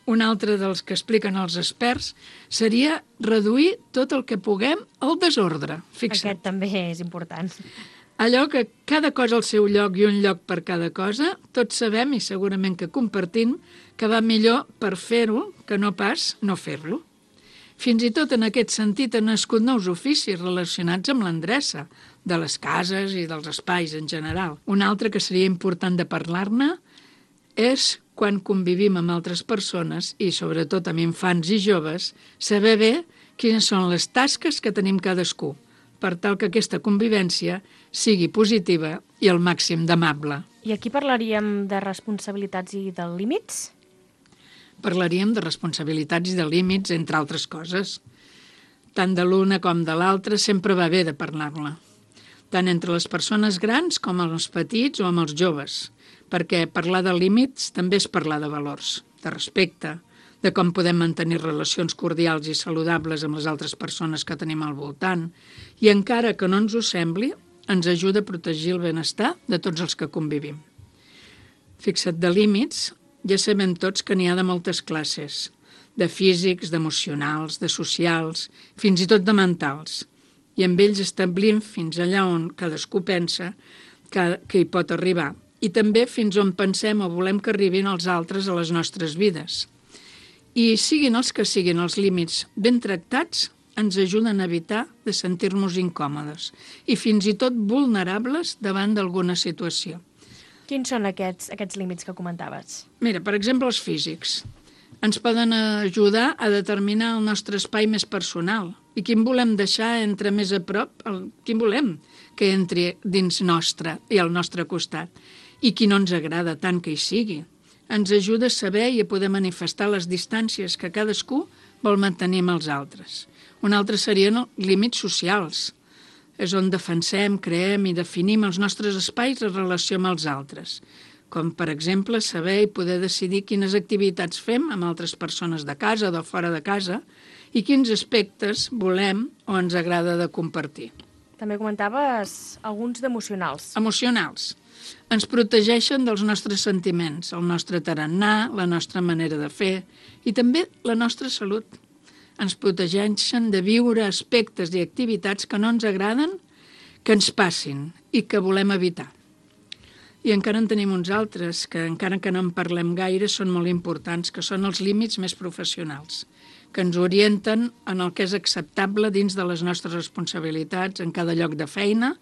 un altre dels que expliquen els experts seria reduir tot el que puguem al desordre. Fixa't. Aquest també és important. Allò que cada cosa al seu lloc i un lloc per cada cosa, tots sabem i segurament que compartim que va millor per fer-ho que no pas no fer-lo. Fins i tot en aquest sentit han nascut nous oficis relacionats amb l'endreça de les cases i dels espais en general. Un altre que seria important de parlar-ne és quan convivim amb altres persones i sobretot amb infants i joves, saber bé quines són les tasques que tenim cadascú, per tal que aquesta convivència sigui positiva i al màxim d'amable. I aquí parlaríem de responsabilitats i de límits? Parlaríem de responsabilitats i de límits, entre altres coses. Tant de l'una com de l'altra sempre va bé de parlar-la, tant entre les persones grans com amb els petits o amb els joves, perquè parlar de límits també és parlar de valors, de respecte, de com podem mantenir relacions cordials i saludables amb les altres persones que tenim al voltant, i encara que no ens ho sembli, ens ajuda a protegir el benestar de tots els que convivim. Fixa't, de límits, ja sabem tots que n'hi ha de moltes classes, de físics, d'emocionals, de socials, fins i tot de mentals, i amb ells establim fins allà on cadascú pensa que, que hi pot arribar, i també fins on pensem o volem que arribin els altres a les nostres vides. I siguin els que siguin els límits ben tractats, ens ajuden a evitar de sentir-nos incòmodes i fins i tot vulnerables davant d'alguna situació. Quins són aquests, aquests límits que comentaves? Mira, per exemple, els físics. Ens poden ajudar a determinar el nostre espai més personal i quin volem deixar entre més a prop, el, quin volem que entri dins nostre i al nostre costat i qui no ens agrada tant que hi sigui. Ens ajuda a saber i a poder manifestar les distàncies que cadascú vol mantenir amb els altres. Un altre serien els límits socials. És on defensem, creem i definim els nostres espais en relació amb els altres, com per exemple saber i poder decidir quines activitats fem amb altres persones de casa o de fora de casa i quins aspectes volem o ens agrada de compartir. També comentaves alguns d'emocionals. Emocionals. Ens protegeixen dels nostres sentiments, el nostre tarannà, la nostra manera de fer i també la nostra salut. Ens protegeixen de viure aspectes i activitats que no ens agraden, que ens passin i que volem evitar. I encara en tenim uns altres que, encara que no en parlem gaire, són molt importants, que són els límits més professionals, que ens orienten en el que és acceptable dins de les nostres responsabilitats en cada lloc de feina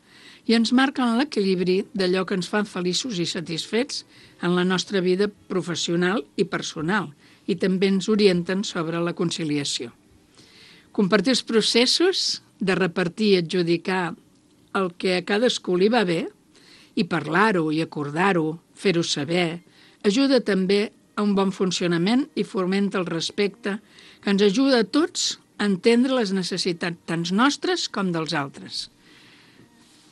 i ens marquen l'equilibri d'allò que ens fan feliços i satisfets en la nostra vida professional i personal i també ens orienten sobre la conciliació. Compartir els processos de repartir i adjudicar el que a cadascú li va bé i parlar-ho i acordar-ho, fer-ho saber, ajuda també a un bon funcionament i fomenta el respecte que ens ajuda a tots a entendre les necessitats tant nostres com dels altres.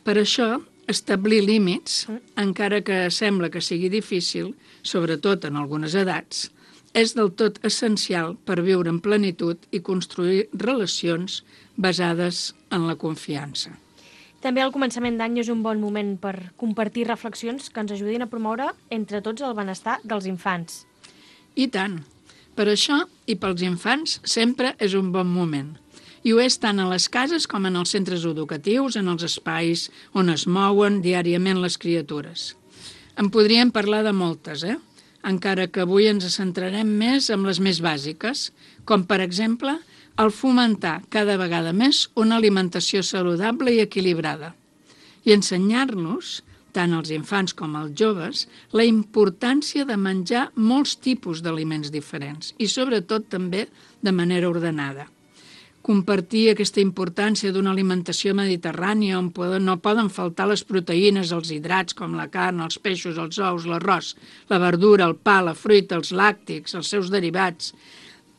Per això, establir límits, encara que sembla que sigui difícil, sobretot en algunes edats, és del tot essencial per viure en plenitud i construir relacions basades en la confiança. També al començament d'any és un bon moment per compartir reflexions que ens ajudin a promoure entre tots el benestar dels infants. I tant. Per això, i pels infants, sempre és un bon moment. I ho és tant a les cases com en els centres educatius, en els espais on es mouen diàriament les criatures. En podríem parlar de moltes, eh? Encara que avui ens centrarem més en les més bàsiques, com per exemple el fomentar cada vegada més una alimentació saludable i equilibrada i ensenyar-nos, tant als infants com als joves, la importància de menjar molts tipus d'aliments diferents i sobretot també de manera ordenada. Compartir aquesta importància d'una alimentació mediterrània on no poden faltar les proteïnes, els hidrats com la carn, els peixos, els ous, l'arròs, la verdura, el pa, la fruita, els làctics, els seus derivats,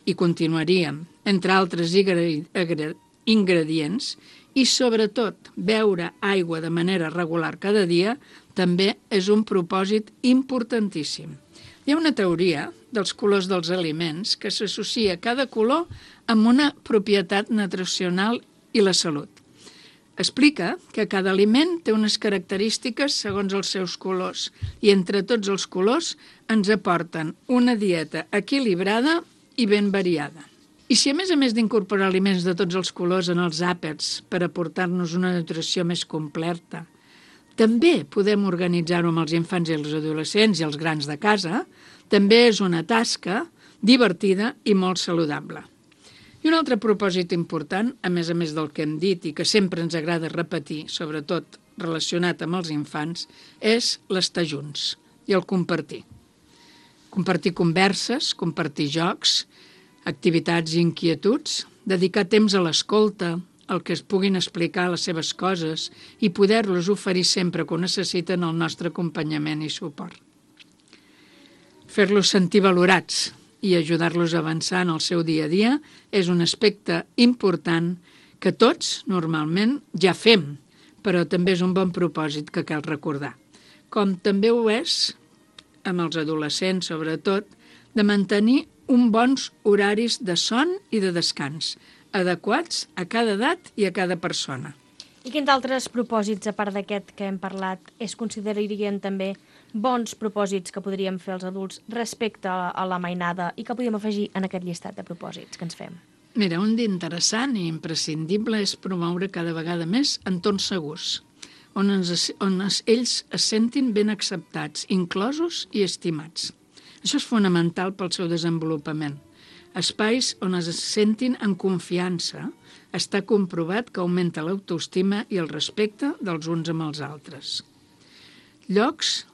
i continuaríem, entre altres ingredients, i sobretot beure aigua de manera regular cada dia també és un propòsit importantíssim. Hi ha una teoria dels colors dels aliments que s'associa cada color amb una propietat nutricional i la salut. Explica que cada aliment té unes característiques segons els seus colors i entre tots els colors ens aporten una dieta equilibrada i ben variada. I si a més a més d'incorporar aliments de tots els colors en els àpats per aportar-nos una nutrició més completa, també podem organitzar-ho amb els infants i els adolescents i els grans de casa, també és una tasca divertida i molt saludable. I un altre propòsit important, a més a més del que hem dit i que sempre ens agrada repetir, sobretot relacionat amb els infants, és l'estar junts i el compartir. Compartir converses, compartir jocs, activitats i inquietuds, dedicar temps a l'escolta, el que es puguin explicar les seves coses i poder-los oferir sempre que ho necessiten el nostre acompanyament i suport. Fer-los sentir valorats i ajudar-los a avançar en el seu dia a dia és un aspecte important que tots, normalment, ja fem, però també és un bon propòsit que cal recordar. Com també ho és, amb els adolescents sobretot, de mantenir uns bons horaris de son i de descans, adequats a cada edat i a cada persona. I quins altres propòsits, a part d'aquest que hem parlat, es considerarien també bons propòsits que podríem fer els adults respecte a la mainada i que podríem afegir en aquest llistat de propòsits que ens fem? Mira, un d'interessant i imprescindible és promoure cada vegada més entorns segurs, on, ens, on es, ells es sentin ben acceptats, inclosos i estimats. Això és fonamental pel seu desenvolupament. Espais on es sentin en confiança, està comprovat que augmenta l'autoestima i el respecte dels uns amb els altres. Llocs,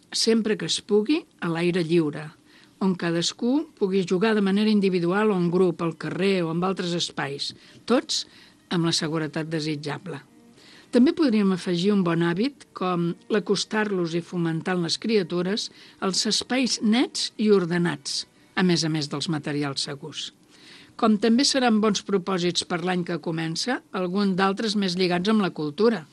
sempre que es pugui, a l'aire lliure, on cadascú pugui jugar de manera individual o en grup, al carrer o en altres espais, tots amb la seguretat desitjable. També podríem afegir un bon hàbit com l'acostar-los i fomentar en les criatures els espais nets i ordenats, a més a més dels materials segurs. Com també seran bons propòsits per l'any que comença, alguns d'altres més lligats amb la cultura,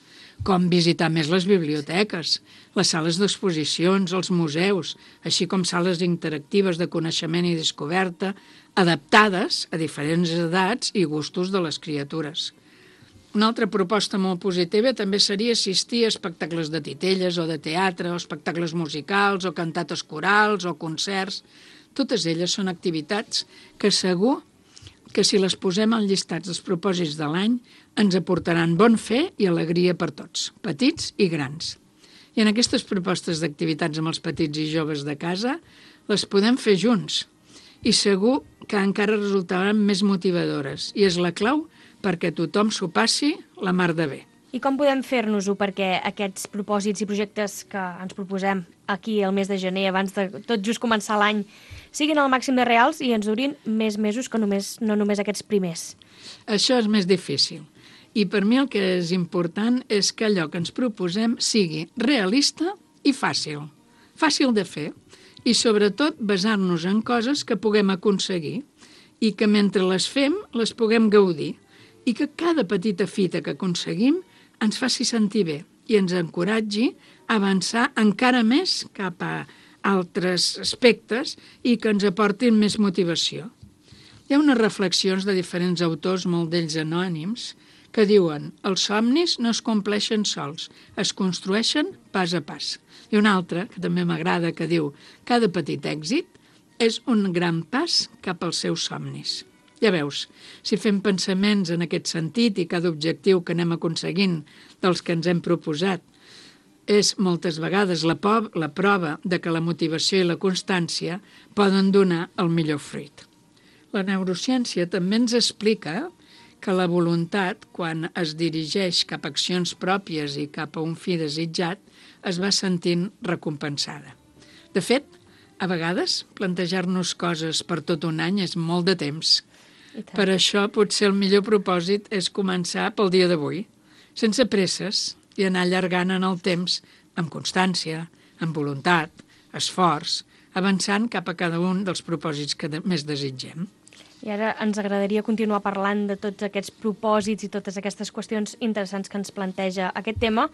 com visitar més les biblioteques, les sales d'exposicions, els museus, així com sales interactives de coneixement i descoberta, adaptades a diferents edats i gustos de les criatures. Una altra proposta molt positiva també seria assistir a espectacles de titelles o de teatre, o espectacles musicals, o cantates corals, o concerts. Totes elles són activitats que segur que si les posem al llistat dels propòsits de l'any ens aportaran bon fer i alegria per tots, petits i grans. I en aquestes propostes d'activitats amb els petits i joves de casa les podem fer junts i segur que encara resultaran més motivadores i és la clau perquè tothom s'ho passi la mar de bé. I com podem fer-nos-ho perquè aquests propòsits i projectes que ens proposem aquí el mes de gener, abans de tot just començar l'any, siguin al màxim de reals i ens durin més mesos que només, no només aquests primers? Això és més difícil. I per mi el que és important és que allò que ens proposem sigui realista i fàcil. Fàcil de fer i sobretot basar-nos en coses que puguem aconseguir i que mentre les fem les puguem gaudir i que cada petita fita que aconseguim ens faci sentir bé i ens encoratgi a avançar encara més cap a altres aspectes i que ens aportin més motivació. Hi ha unes reflexions de diferents autors, molt d'ells anònims, que diuen els somnis no es compleixen sols, es construeixen pas a pas. I una altra, que també m'agrada, que diu cada petit èxit és un gran pas cap als seus somnis. Ja veus, si fem pensaments en aquest sentit i cada objectiu que anem aconseguint dels que ens hem proposat és moltes vegades la, po- la prova de que la motivació i la constància poden donar el millor fruit. La neurociència també ens explica que la voluntat, quan es dirigeix cap a accions pròpies i cap a un fi desitjat, es va sentint recompensada. De fet, a vegades, plantejar-nos coses per tot un any és molt de temps. Per això, potser el millor propòsit és començar pel dia d'avui, sense presses i anar allargant en el temps amb constància, amb voluntat, esforç, avançant cap a cada un dels propòsits que més desitgem. I ara ens agradaria continuar parlant de tots aquests propòsits i totes aquestes qüestions interessants que ens planteja aquest tema,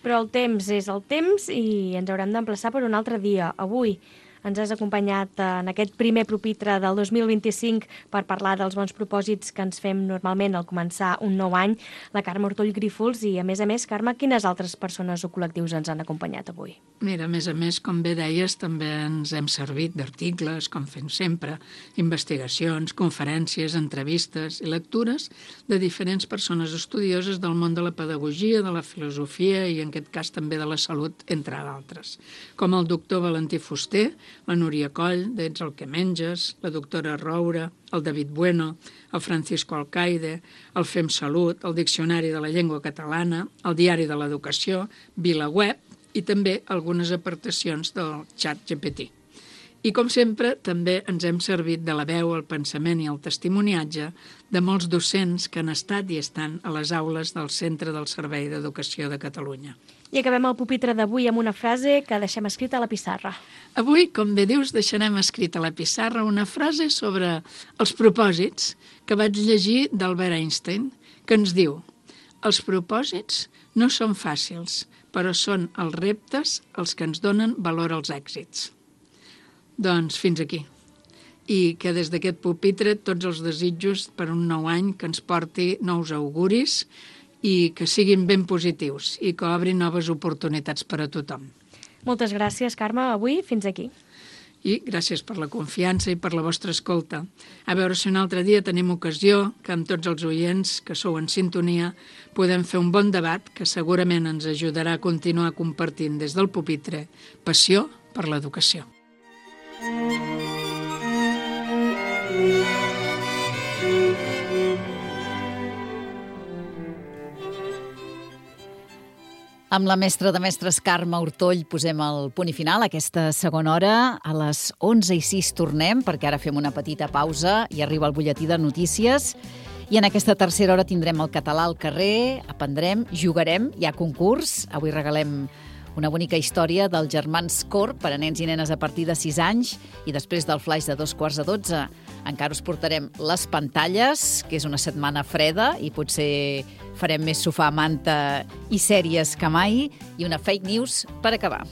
però el temps és el temps i ens haurem d'emplaçar per un altre dia. Avui ens has acompanyat en aquest primer pupitre del dos mil vint-i-cinc per parlar dels bons propòsits que ens fem normalment al començar un nou any, la Carme Ortoll Grífols, i a més a més, Carme, quines altres persones o col·lectius ens han acompanyat avui? Mira, a més a més, com bé deies, també ens hem servit d'articles, com fem sempre, investigacions, conferències, entrevistes i lectures de diferents persones estudioses del món de la pedagogia, de la filosofia i, en aquest cas, també de la salut, entre d'altres, com el doctor Valentí Fuster, la Núria Coll, d'Ets el que menges, la doctora Roura, el David Bueno, el Francisco Alcaide, el Fem Salut, el Diccionari de la Llengua Catalana, el Diari de l'Educació, VilaWeb i també algunes aportacions del xat G P T. I, com sempre, també ens hem servit de la veu, el pensament i el testimoniatge de molts docents que han estat i estan a les aules del Centre del Servei d'Educació de Catalunya. I acabem el pupitre d'avui amb una frase que deixem escrita a la pissarra. Avui, com bé dius, deixarem escrita a la pissarra una frase sobre els propòsits que vaig llegir d'Albert Einstein, que ens diu: els propòsits no són fàcils, però són els reptes els que ens donen valor als èxits. Doncs fins aquí. I que des d'aquest pupitre tots els desitjos per un nou any que ens porti nous auguris i que siguin ben positius i que obrin noves oportunitats per a tothom. Moltes gràcies, Carme. Avui fins aquí. I gràcies per la confiança i per la vostra escolta. A veure si un altre dia tenim ocasió que amb tots els oients que sou en sintonia podem fer un bon debat que segurament ens ajudarà a continuar compartint des del pupitre passió per l'educació. Amb la mestra de mestres Carme Ortoll posem el punt i final a aquesta segona hora. A les onze i sis tornem, perquè ara fem una petita pausa i arriba el butlletí de notícies. I en aquesta tercera hora tindrem el català al carrer, aprendrem, jugarem, hi ha concurs. Avui regalem una bonica història dels germans Cor per a nens i nenes a partir de sis anys, i després del flaix de dos quarts de dotze encara us portarem les pantalles, que és una setmana freda i potser farem més sofà, manta i sèries que mai, i una fake news per acabar.